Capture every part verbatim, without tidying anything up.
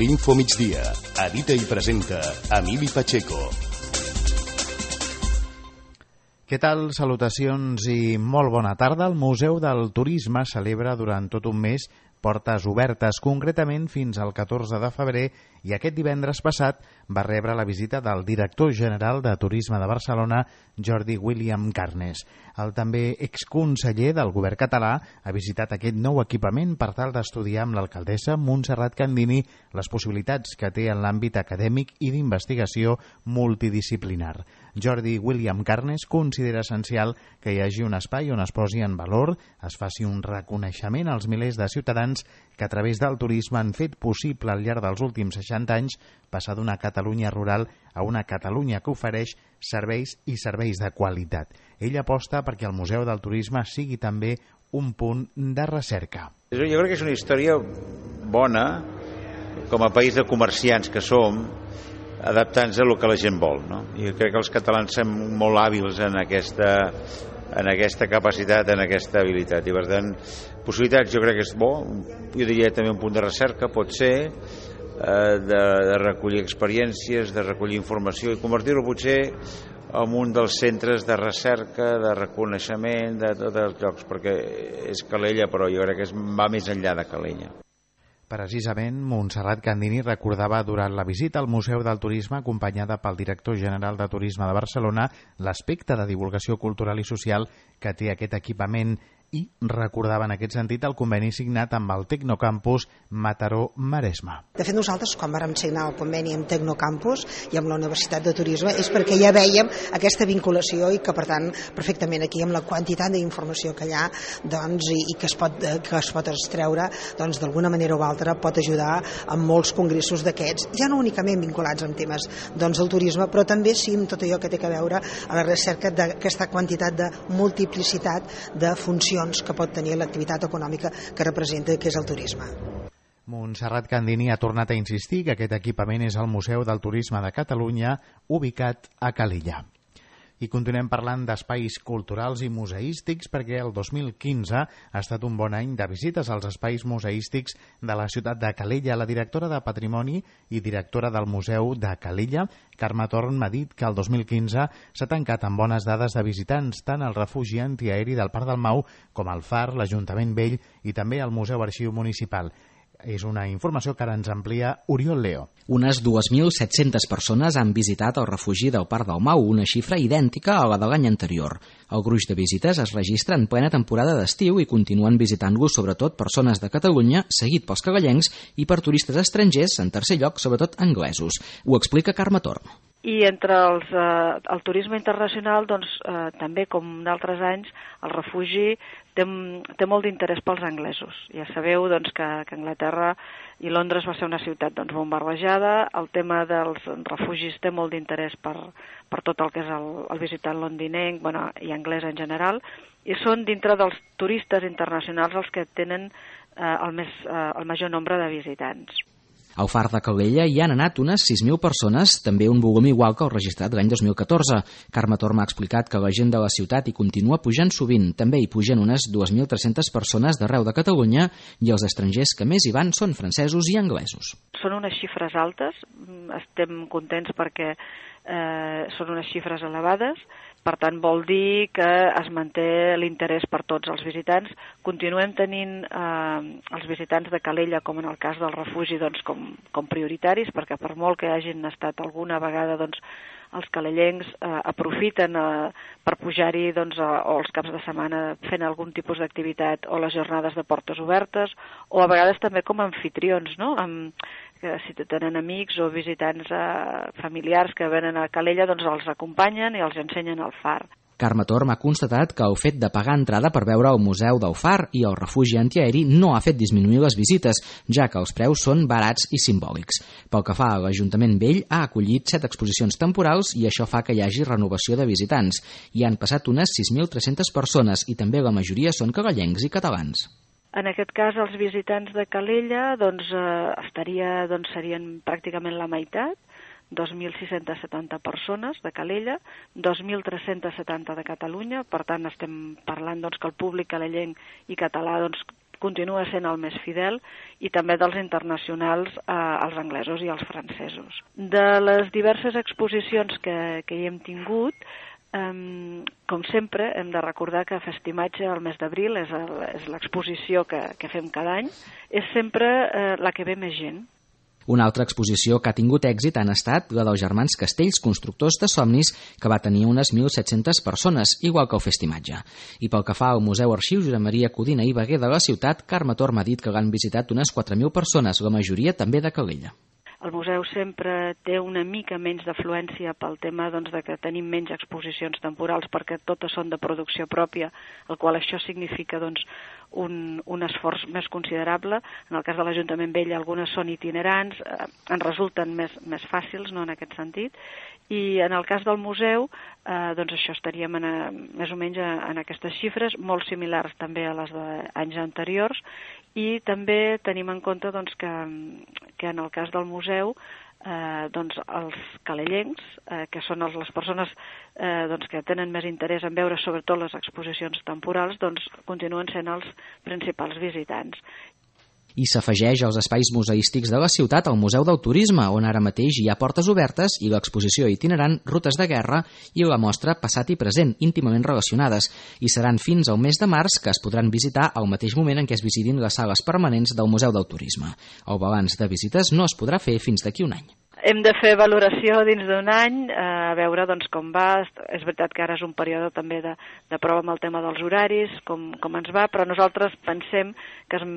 L'Info Migdia. Edita i presenta Emili Pacheco. Què tal? Salutacions i molt bona tarda. El Museu del Turisme celebra durant tot un mes portes obertes, concretament fins al catorze de febrer, i aquest divendres passat va rebre la visita del director general de Turisme de Barcelona, Jordi William Carnes. El també exconseller del govern català ha visitat aquest nou equipament per tal d'estudiar amb l'alcaldessa Montserrat Candini les possibilitats que té en l'àmbit acadèmic i d'investigació multidisciplinar. Jordi William Carnes considera essencial que hi hagi un espai on es posi en valor, es faci un reconeixement als milers de ciutadans que a través del turisme han fet possible al llarg dels últims seixanta anys passar d'una Catalunya rural a una Catalunya que ofereix serveis i serveis de qualitat. Ell aposta perquè el Museu del Turisme sigui també un punt de recerca. Jo crec que és una història bona, com a país de comerciants que som, adaptant-nos a el que la gent vol, no? I crec que els catalans som molt hàbils en aquesta, en aquesta capacitat, en aquesta habilitat. I per tant, possibilitats jo crec que és bo, jo diria també un punt de recerca, pot ser, eh, de, de recollir experiències, de recollir informació i convertir-ho potser en un dels centres de recerca, de reconeixement, de tots els llocs, perquè és Calella, però jo crec que es va més enllà de Calella. Precisament, Montserrat Candini recordava durant la visita al Museu del Turisme, acompanyada pel director general de Turisme de Barcelona, l'aspecte de divulgació cultural i social que té aquest equipament, i recordava en aquest sentit el conveni signat amb el Tecnocampus Mataró-Maresme. De fet, nosaltres, quan vàrem signar el conveni amb Tecnocampus i amb la Universitat de Turisme, és perquè ja vèiem aquesta vinculació i que, per tant, perfectament aquí, amb la quantitat d'informació que hi ha, doncs, i, i que es pot, que es pot extreure, doncs, d'alguna manera o altra pot ajudar a molts congressos d'aquests, ja no únicament vinculats amb temes doncs, del turisme, però també sí amb tot allò que té a veure a la recerca d'aquesta quantitat de multiplicitat de funcions que pot tenir l'activitat econòmica que representa, que és el turisme. Montserrat Candini ha tornat a insistir que aquest equipament és el Museu del Turisme de Catalunya, ubicat a Calella. I continuem parlant d'espais culturals i museístics perquè el dos mil quinze ha estat un bon any de visites als espais museístics de la ciutat de Calella. La directora de Patrimoni i directora del Museu de Calella, Carme Torn, m'ha dit que el dos mil quinze s'ha tancat amb bones dades de visitants tant al refugi antiaeri del Parc del Mau com al Far, l'Ajuntament Vell i també al Museu Arxiu Municipal. És una informació que ara ens amplia Oriol Leo. Unes dues mil set-centes persones han visitat el refugi del Parc del Mau, una xifra idèntica a la de l'any anterior. El gruix de visites es registra en plena temporada d'estiu i continuen visitant-lo sobretot persones de Catalunya, seguit pels cagallencs, i per turistes estrangers, en tercer lloc, sobretot anglesos. Ho explica Carme Torn. I entre els, eh, el turisme internacional, doncs, eh, també com d'altres anys, el refugi té, té molt d'interès pels anglesos. Ja sabeu doncs, que, que Anglaterra i Londres va ser una ciutat doncs, bombardejada. El tema dels refugis té molt d'interès per, per tot el que és el, el visitant londinenc, bueno, i anglès en general, i són dintre dels turistes internacionals els que tenen eh, el, més, eh, el major nombre de visitants. Al Far de Calella hi han anat unes sis mil persones, també un volum igual que el registrat l'any dos mil catorze. Carme Torm ha explicat que la gent de la ciutat hi continua pujant sovint. També hi pugen unes dues mil tres-centes persones d'arreu de Catalunya i els estrangers que més hi van són francesos i anglesos. Són unes xifres altes, estem contents perquè eh, són unes xifres elevades. Per tant, vol dir que es manté l'interès per tots els visitants. Continuem tenint eh, els visitants de Calella, com en el cas del refugi, doncs, com, com prioritaris, perquè per molt que hagin estat alguna vegada, doncs, els calellencs eh, aprofiten eh, per pujar-hi doncs, a, o els caps de setmana fent algun tipus d'activitat o les jornades de portes obertes, o a vegades també com a anfitrions, no? Amb, que si tenen amics o visitants eh, familiars que venen a Calella, doncs els acompanyen i els ensenyen el Far. Carme Torm ha constatat que el fet de pagar entrada per veure el Museu del Far i el refugi antiaeri no ha fet disminuir les visites, ja que els preus són barats i simbòlics. Pel que fa a l'Ajuntament Vell, ha acollit set exposicions temporals i això fa que hi hagi renovació de visitants. Hi han passat unes sis mil tres-centes persones i també la majoria són cagallencs i catalans. En aquest cas, els visitants de Calella doncs, eh, estaria, doncs, serien pràcticament la meitat, dos mil sis-centes setanta persones de Calella, dos mil tres-centes setanta de Catalunya. Per tant, estem parlant doncs, que el públic calellenc i català doncs, continua sent el més fidel, i també dels internacionals, eh, els anglesos i els francesos. De les diverses exposicions que, que hi hem tingut, Um, com sempre, hem de recordar que Festimatge, el mes d'abril, és, el, és l'exposició que, que fem cada any, és sempre eh, la que ve més gent. Una altra exposició que ha tingut èxit han estat la dels germans Castells, constructors de somnis, que va tenir unes mil set-centes persones, igual que el Festimatge. I pel que fa al Museu Arxiu Josep Maria Codina i Veguer de la ciutat, Carme Torm ha dit que l'han visitat unes quatre mil persones, la majoria també de Calella. El museu sempre té una mica menys d'afluència pel tema doncs, de que tenim menys exposicions temporals perquè totes són de producció pròpia, el qual això significa doncs, un, un esforç més considerable. En el cas de l'Ajuntament Vell algunes són itinerants, eh, en resulten més, més fàcils, no en aquest sentit, i en el cas del museu eh, doncs això estaríem en, a, més o menys en aquestes xifres, molt similars també a les d'anys anteriors, i també tenim en compte doncs, que, que en el cas del museu eh, doncs, els calellencs, eh, que són els, les persones eh, doncs, que tenen més interès en veure sobretot les exposicions temporals, doncs, continuen sent els principals visitants. I s'afegeix als espais museístics de la ciutat al Museu del Turisme, on ara mateix hi ha portes obertes i l'exposició itinerant Rutes de Guerra i la mostra Passat i Present, íntimament relacionades, i seran fins al mes de març que es podran visitar al mateix moment en què es visitin les sales permanents del Museu del Turisme. El balanç de visites no es podrà fer fins d'aquí un any. Hem de fer valoració dins d'un any, eh, a veure doncs, com va. És veritat que ara és un període també de, de prova amb el tema dels horaris, com, com ens va, però nosaltres pensem que, es,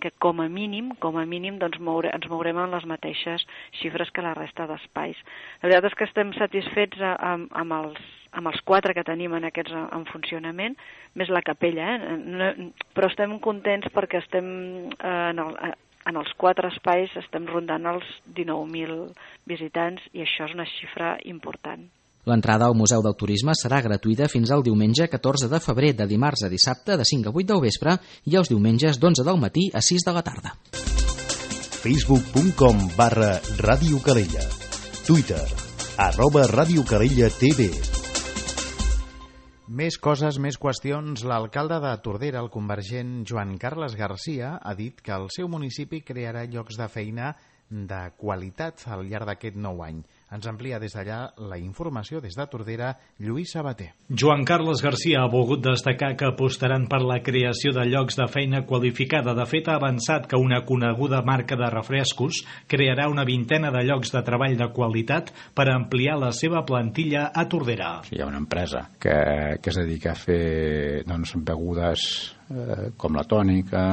que com a mínim, com a mínim doncs, moure, ens mourem en les mateixes xifres que la resta d'espais. La veritat és que estem satisfets amb, amb, els, amb els quatre que tenim en aquests en funcionament, més la capella, eh? no, però estem contents perquè estem eh, en el... En els quatre espais estem rondant els dinou mil visitants i això és una xifra important. L'entrada al Museu del Turisme serà gratuïta fins al diumenge catorze de febrer, de dimarts a dissabte de cinc a vuit del vespre i els diumenges d'onze del matí a sis de la tarda. facebook punt com barra Ràdio Calella. Twitter, arroba Ràdio Calella T V. Més coses, més qüestions. L'alcalde de Tordera, el convergent Joan Carles Garcia, ha dit que el seu municipi crearà llocs de feina de qualitat al llarg d'aquest nou any. Ens amplia des d'allà la informació des de Tordera, Lluís Sabater. Joan Carles Garcia ha volgut destacar que apostaran per la creació de llocs de feina qualificada. De fet, ha avançat que una coneguda marca de refrescos crearà una vintena de llocs de treball de qualitat per ampliar la seva plantilla a Tordera. Hi ha una empresa que, que es dedica a fer doncs, begudes eh, com la tònica,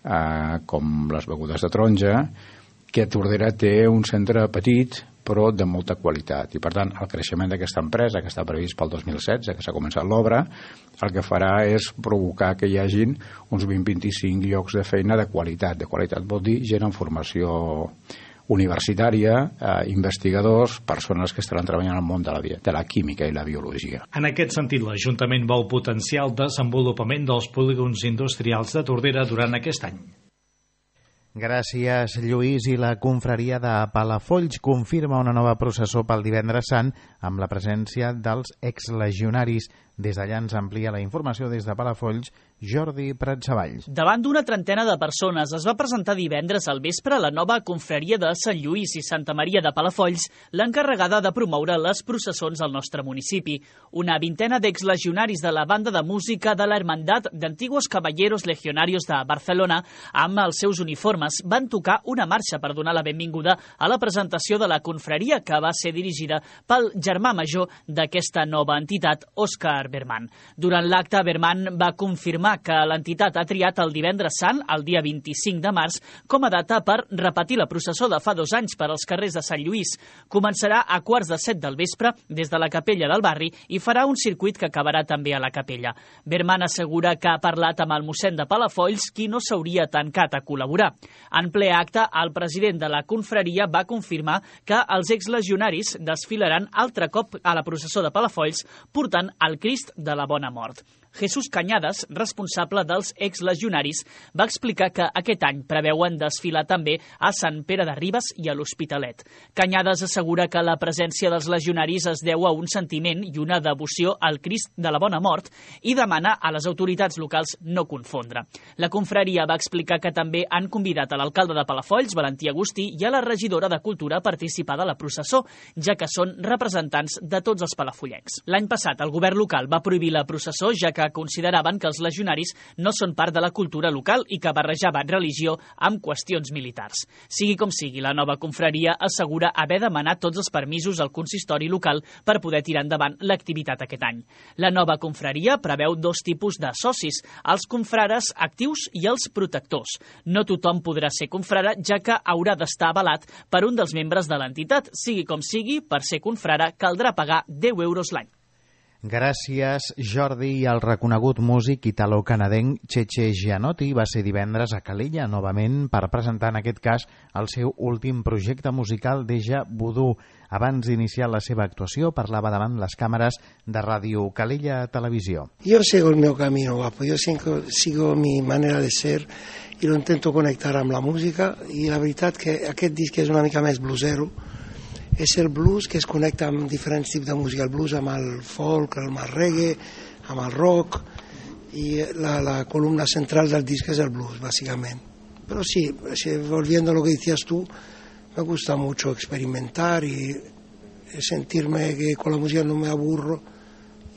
eh, com les begudes de taronja, que a Tordera té un centre petit però de molta qualitat, i per tant el creixement d'aquesta empresa, que està previst pel dos mil setze, que s'ha començat l'obra, el que farà és provocar que hi hagin uns vint a vint-i-cinc llocs de feina de qualitat. De qualitat vol dir gent en formació universitària, eh, investigadors, persones que estaran treballant al món de la, de la química i la biologia. En aquest sentit, l'Ajuntament vol potenciar el desenvolupament dels polígons industrials de Tordera durant aquest any. Gràcies, Lluís. I la confraria de Palafolls confirma una nova processó pel divendres sant amb la presència dels exlegionaris. Des d'allà ens amplia la informació des de Palafolls, Jordi Pratsavalls. Davant d'una trentena de persones es va presentar divendres al vespre la nova confraria de Sant Lluís i Santa Maria de Palafolls, l'encarregada de promoure les processons al nostre municipi. Una vintena d'exlegionaris de la banda de música de la Hermandad d'Antiguos Caballeros Legionarios de Barcelona, amb els seus uniformes, van tocar una marxa per donar la benvinguda a la presentació de la confraria, que va ser dirigida pel germà major d'aquesta nova entitat, Òscar Berman. Durant l'acte, Berman va confirmar que l'entitat ha triat el divendres sant, el dia vint-i-cinc de març, com a data per repetir la processó de fa dos anys per als carrers de Sant Lluís. Començarà a quarts de set del vespre des de la capella del barri i farà un circuit que acabarà també a la capella. Berman assegura que ha parlat amb el mossèn de Palafolls, qui no s'hauria tancat a col·laborar. En ple acte, el president de la confraria va confirmar que els exlegionaris desfilaran altre cop a la processó de Palafolls portant el Crist de la Bona Mort. Jesús Cañadas, responsable dels exlegionaris, va explicar que aquest any preveuen desfilar també a Sant Pere de Ribes i a l'Hospitalet. Cañadas assegura que la presència dels legionaris es deu a un sentiment i una devoció al Crist de la Bona Mort i demana a les autoritats locals no confondre. La confraria va explicar que també han convidat a l'alcalde de Palafolls, Valentí Agustí, i a la regidora de Cultura a participar de la processó, ja que són representants de tots els palafollencs. L'any passat el govern local va prohibir la processó, ja que consideraven que els legionaris no són part de la cultura local i que barrejaven religió amb qüestions militars. Sigui com sigui, la nova confraria assegura haver demanat tots els permisos al consistori local per poder tirar endavant l'activitat aquest any. La nova confraria preveu dos tipus de socis, els confrares actius i els protectors. No tothom podrà ser confrare, ja que haurà d'estar avalat per un dels membres de l'entitat. Sigui com sigui, per ser confrare caldrà pagar deu euros l'any. Gràcies, Jordi. I el reconegut músic italo-canadenc Cheche Gianotti va ser divendres a Calella novament per presentar en aquest cas el seu últim projecte musical, Deja Voodoo. Abans d'iniciar la seva actuació parlava davant les càmeres de Ràdio Calella Televisió. Yo sigo el meu camino, guapo. Yo sigo, sigo mi manera de ser i lo intento connectar amb la música, i la veritat que aquest disc és una mica més bluesero. És el blues que es connecta amb diferents tipus de música, el blues amb el folk, amb el reggae, amb el rock, i la, la columna central del disc és el blues, básicamente. Pero sí, volviendo a lo que decías tú, me gusta mucho experimentar y sentirme que con la música no me aburro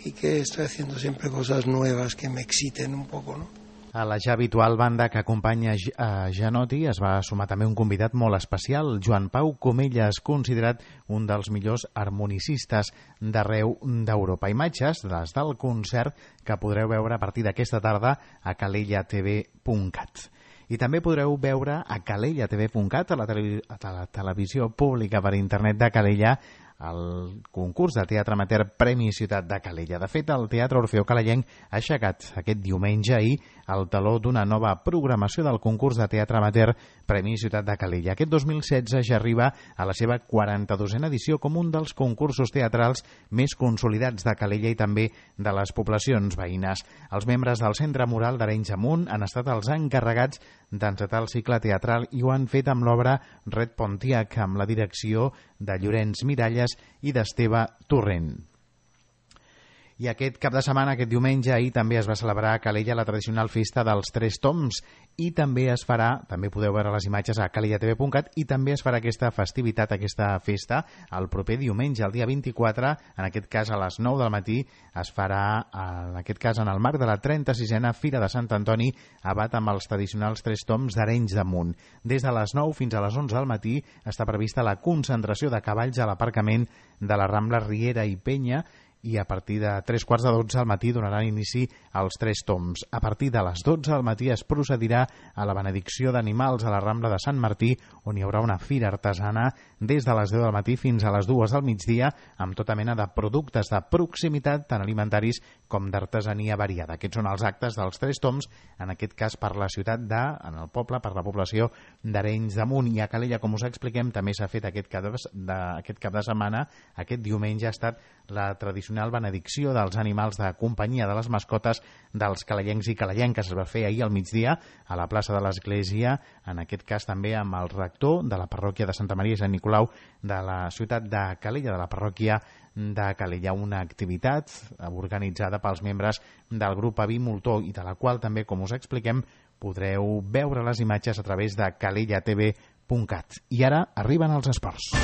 y que estoy haciendo siempre cosas nuevas que me exciten un poco, ¿no? A la ja habitual banda que acompanya a Gianotti es va sumar també un convidat molt especial, Joan Pau Comelles, considerat un dels millors harmonicistes d'arreu d'Europa. Imatges des del concert que podreu veure a partir d'aquesta tarda a calella t v punt cat. I també podreu veure a calella t v punt cat, a la, tele a la televisió pública per internet de Calella, el concurs de teatre amateur Premi Ciutat de Calella. De fet, el Teatre Orfeó Calellenc ha aixecat aquest diumenge ahir el taló d'una nova programació del concurs de teatre amateur Premi Ciutat de Calella. Aquest dos mil setze ja arriba a la seva quaranta-dosena edició com un dels concursos teatrals més consolidats de Calella i també de les poblacions veïnes. Els membres del Centre Mural d'Arenys Amunt han estat els encarregats d'encetar el cicle teatral i ho han fet amb l'obra Red Pontiac, amb la direcció de Llorenç Miralles i d'Esteve Torrent. I aquest cap de setmana, aquest diumenge, ahir també es va celebrar a Calella la tradicional festa dels Tres Toms i també es farà, també podeu veure les imatges a calella t v punt cat, i també es farà aquesta festivitat, aquesta festa, el proper diumenge, el dia vint-i-quatre, en aquest cas a les nou del matí, es farà, en aquest cas en el marc de la trenta-sisena Fira de Sant Antoni, abat amb els tradicionals Tres Toms d'Arenys de Munt. Des de les nou fins a les onze del matí està prevista la concentració de cavalls a l'aparcament de la Rambla Riera i Penya, i a partir de tres quarts de dotze al matí donaran inici als Tres Toms. A partir de les dotze al matí es procedirà a la benedicció d'animals a la Rambla de Sant Martí, on hi haurà una fira artesana des de les deu del matí fins a les dues del migdia, amb tota mena de productes de proximitat, tant alimentaris com d'artesania variada. Aquests són els actes dels Tres Toms, en aquest cas per la ciutat de, en el poble, per la població d'Arenys de Munt. I a Calella, com us expliquem, també s'ha fet aquest cap de, de, aquest cap de setmana, aquest diumenge ha estat la tradicional benedicció dels animals de companyia, de les mascotes dels calellencs i calellenques. Es va fer ahir al migdia a la plaça de l'Església, en aquest cas també amb el rector de la parròquia de Santa Maria i Sant Nicolau de la ciutat de Calella, de la parròquia de Calella, una activitat organitzada pels membres del grup Avi Moltó i de la qual també, com us expliquem, podreu veure les imatges a través de calella t v punt cat. I ara arriben els esports.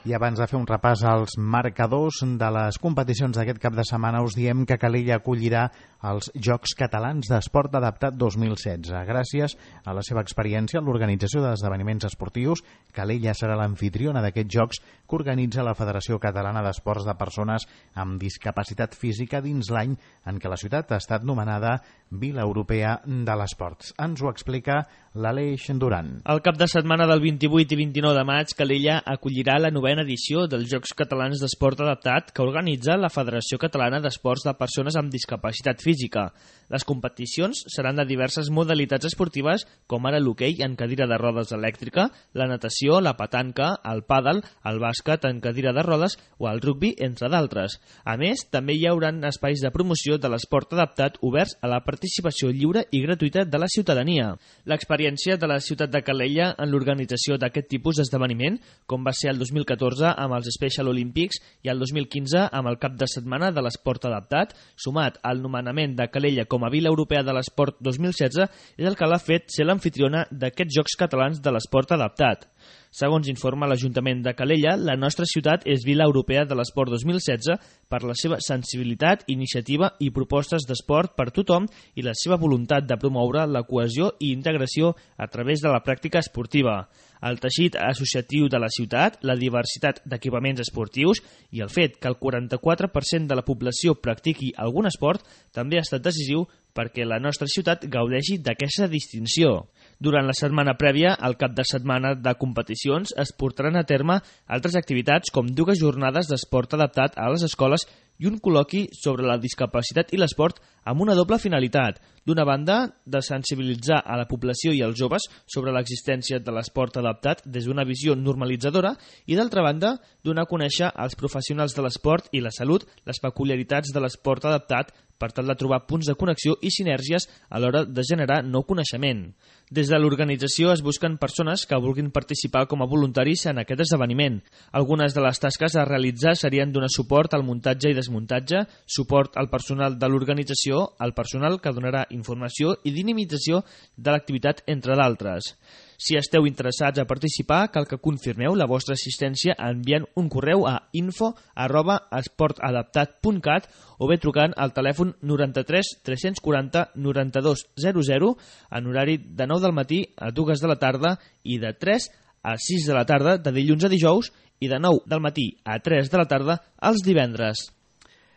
I abans de fer un repàs als marcadors de les competicions d'aquest cap de setmana, us diem que Calella acollirà els Jocs Catalans d'Esport Adaptat dos mil setze. Gràcies a la seva experiència en l'organització d'esdeveniments esportius, Calella serà l'amfitriona d'aquests jocs que organitza la Federació Catalana d'Esports de Persones amb Discapacitat Física dins l'any en què la ciutat ha estat nomenada Vila Europea de l'Esport. Ens ho explica l'Aleix Duran. El cap de setmana del vint-i-vuit i vint-i-nou de maig, Calella acollirà la novena edició dels Jocs Catalans d'Esport Adaptat que organitza la Federació Catalana d'Esports de Persones amb Discapacitat Física. Les competicions seran de diverses modalitats esportives, com ara l'hoquei en cadira de rodes elèctrica, la natació, la petanca, el pàdel, el bàsquet en cadira de rodes o el rugbi, entre d'altres. A més, també hi haurà espais de promoció de l'esport adaptat oberts a la participació lliure i gratuïta de la ciutadania. L'experiència de la ciutat de Calella en l'organització d'aquest tipus d'esdeveniment, com va ser el dos mil catorze amb els Special Olympics i el dos mil quinze amb el cap de setmana de l'esport adaptat, sumat al nomenament de Calella com a Vila Europea de l'Esport dos mil setze, és el que l'ha fet ser l'amfitriona d'aquests Jocs Catalans de l'Esport Adaptat. Segons informa l'Ajuntament de Calella, la nostra ciutat és Vila Europea de l'Esport dos mil setze per la seva sensibilitat, iniciativa i propostes d'esport per tothom i la seva voluntat de promoure la cohesió i integració a través de la pràctica esportiva. El teixit associatiu de la ciutat, la diversitat d'equipaments esportius i el fet que el quaranta-quatre per cent de la població practiqui algun esport també ha estat decisiu perquè la nostra ciutat gaudeixi d'aquesta distinció. Durant la setmana prèvia, al cap de setmana de competicions, es portaran a terme altres activitats com dues jornades d'esport adaptat a les escoles i un col·loqui sobre la discapacitat i l'esport amb una doble finalitat. D'una banda, de sensibilitzar a la població i als joves sobre l'existència de l'esport adaptat des d'una visió normalitzadora i, d'altra banda, donar a conèixer als professionals de l'esport i la salut les peculiaritats de l'esport adaptat per tal de trobar punts de connexió i sinergies a l'hora de generar nou coneixement. Des de l'organització es busquen persones que vulguin participar com a voluntaris en aquest esdeveniment. Algunes de les tasques a realitzar serien donar suport al muntatge i desmuntatge, suport al personal de l'organització, al personal que donarà informació i dinamització de l'activitat, entre d'altres. Si esteu interessats a participar, cal que confirmeu la vostra assistència enviant un correu a info arroba esportadaptat punt cat o bé trucant al telèfon noranta-tres tres-cents quaranta noranta-dos zero zero en horari de nou del matí a dues de la tarda i de tres a sis de la tarda de dilluns a dijous i de nou del matí a tres de la tarda els divendres.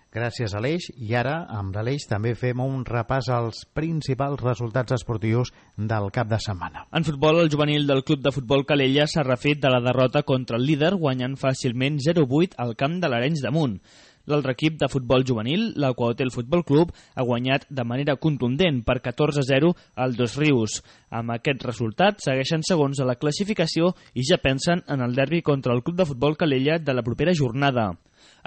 Gràcies, Aleix. I ara, amb l'Aleix, també fem un repàs als principals resultats esportius del cap de setmana. En futbol, el juvenil del Club de Futbol Calella s'ha refet de la derrota contra el líder, guanyant fàcilment zero vuit al camp de l'Arenys de Munt. L'altre equip de futbol juvenil, l'Aquahotel Futbol Club, ha guanyat de manera contundent per catorze a zero al Dos Rius. Amb aquest resultat, segueixen segons a la classificació i ja pensen en el derbi contra el Club de Futbol Calella de la propera jornada.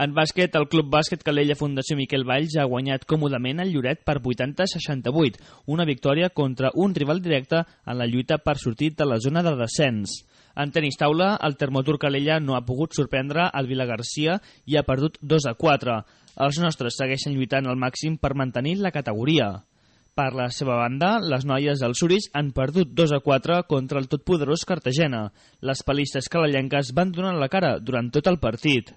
En bàsquet, el Club Bàsquet Calella Fundació Miquel Valls ha guanyat còmodament el Lloret per vuitanta a seixanta-vuit, una victòria contra un rival directe en la lluita per sortir de la zona de descens. En tenis taula, el Termotur Calella no ha pogut sorprendre el Vilagarcia i ha perdut dos a quatre. Els nostres segueixen lluitant al màxim per mantenir la categoria. Per la seva banda, les noies del Suris han perdut dos a quatre contra el totpoderós Cartagena. Les palistes calellenques van donar la cara durant tot el partit.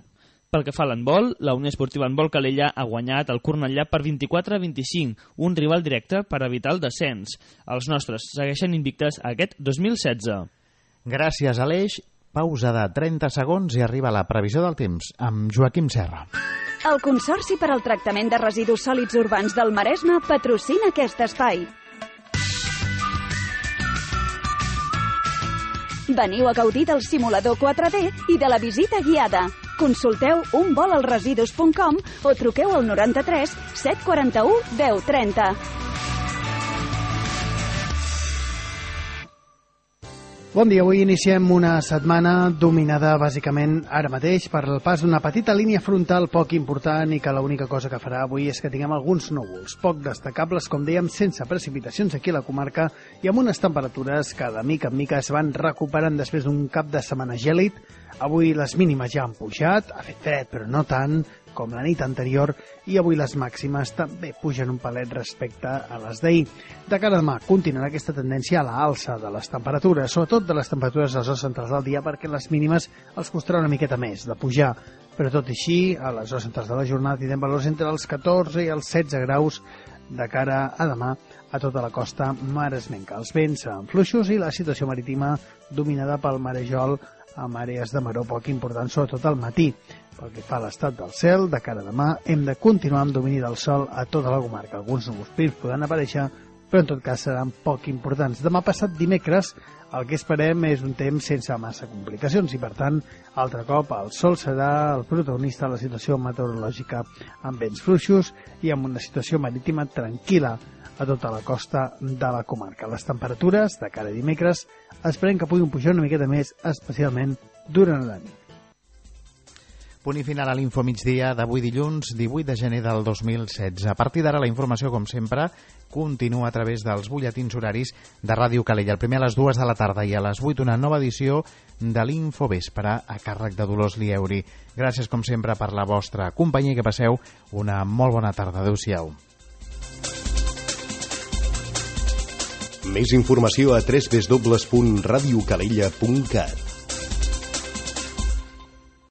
Pel que fa a l'handbol, la Unió Esportiva Handbol Calella ha guanyat el Cornellà per vint-i-quatre a vint-i-cinc, un rival directe per evitar el descens. Els nostres segueixen invictes aquest dos mil setze. Gràcies, Aleix. Pausa de trenta segons i arriba la previsió del temps amb Joaquim Serra. El Consorci per al Tractament de Residus Sòlids Urbans del Maresme patrocina aquest espai. Veniu a gaudir del simulador quatre D i de la visita guiada. Consulteu un vol al residus punt com o truqueu al noranta-tres set quaranta-u deu trenta. Bon dia, avui iniciem una setmana dominada bàsicament ara mateix per el pas d'una petita línia frontal poc important i que l'única cosa que farà avui és que tinguem alguns núvols poc destacables, com dèiem, sense precipitacions aquí a la comarca i amb unes temperatures que de mica en mica es van recuperant després d'un cap de setmana gèlid. Avui les mínimes ja han pujat, ha fet fred però no tant com la nit anterior, i avui les màximes també pugen un palet respecte a les d'ahir. De cara a demà continuarà aquesta tendència a l'alça de les temperatures, sobretot de les temperatures a les hores centrals del dia, perquè les mínimes els costarà una miqueta més de pujar. Però tot i així, a les hores centrals de la jornada tindrem valors entre els catorze i els setze graus de cara a demà a tota la costa maresmenca. Els vents seran fluixos i la situació marítima dominada pel marejol amb àrees de maror poc importants, sobretot al matí. Pel que fa a l'estat del cel, de cara a demà hem de continuar amb domini del sol a tota la comarca. Alguns núvols prims podran aparèixer, però en tot cas seran poc importants. Demà passat dimecres el que esperem és un temps sense massa complicacions i, per tant, altre cop el sol serà el protagonista de la situació meteorològica, amb vents fluixos i amb una situació marítima tranquil·la a tota la costa de la comarca. Les temperatures de cara a dimecres esperem que puguin pujar una miqueta més, especialment durant la nit. Punt i final a l'Info Migdia d'avui dilluns, divuit de gener del dos mil setze. A partir d'ara la informació, com sempre, continua a través dels butlletins horaris de Ràdio Calella. El primer a les dues de la tarda i a les vuit una nova edició de l'Info Vespre a càrrec de Dolors Lieuri. Gràcies, com sempre, per la vostra companyia i que passeu una molt bona tarda. Adéu-siau. Més informació a w w w punt radiocalella punt cat.